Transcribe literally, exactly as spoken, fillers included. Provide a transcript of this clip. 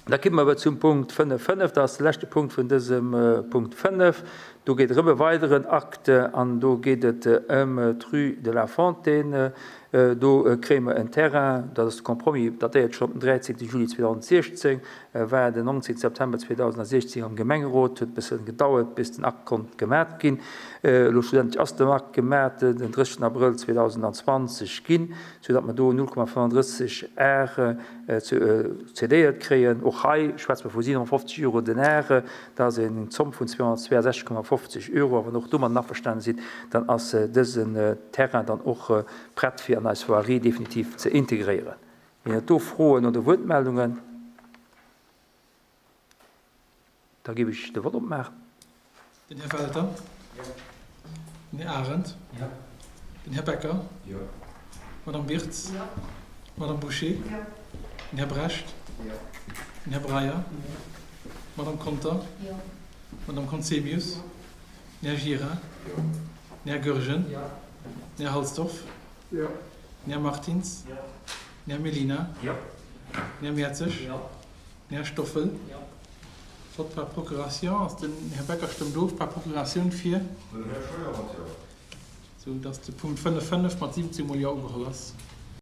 Da komme mer awer zum Punkt fënnef fënnef. Dat ass de leschte Punkt vun dësem Punkt fënnef. Do geet et erëm e weideren Akt an do geet et ëm d'Rue de la Fontaine. Do kréie mer en Terrain, dat ass de Compromis, datéiert schonn op den dräizéngte Juli zweedausensiechzéng, war den nonzéngte September zweedausensiechzéng am Gemengerot, huet e bësse gedauert, bis den Akt konnt gemat ginn. Elo schlussendlech ass den Akt gemat, den drëssegsten Abrëll zweedausendzwanzeg ginn, soudatt mer do null Komma fënnenddrësseg Ar cédéiert kréien. Och hei schwätze mer vu siewenhonnertfofzeg Euro den Ar. Dat ass eng Zomm vun zweehonnertzweeasechzeg Komma fofzeg Euro. A wann och domadden averstane sidd, dann ass dësen Terrain dann och prett, fir an eis Voirie definitiv ze integréieren. Ginn et do Froen oder Wuertmeldungen? Da géif ech de Vott opmaachen. Den Här Welter. Jo. Den Här Arendt. Jo. Den Här Becker. Jo. D'Madame Wirtz. Jo. D'Madame Bouché. Jo. Den Här Brecht. Jo. Den Här Breyer. Jo. D'Madame Conter. Jo. D'Madame Conzemius. Jo. Den Här Gira. Jo. Den Här Goergen. Jo. Den Här Halsdorf. Jo. Den Här Martins. Jo. Den Här Mellina. Jo. Den Här Mertzig. Jo. Den Här Stoffel. Jo. Vott par procuration. Ass den Här Becker stëmmt of par Procuratioun fir. Den Här Scheuer mat Jo. Sou datt de Punkt fënnef fënnef mat siwwenzéng mol Jo ugeholl ass.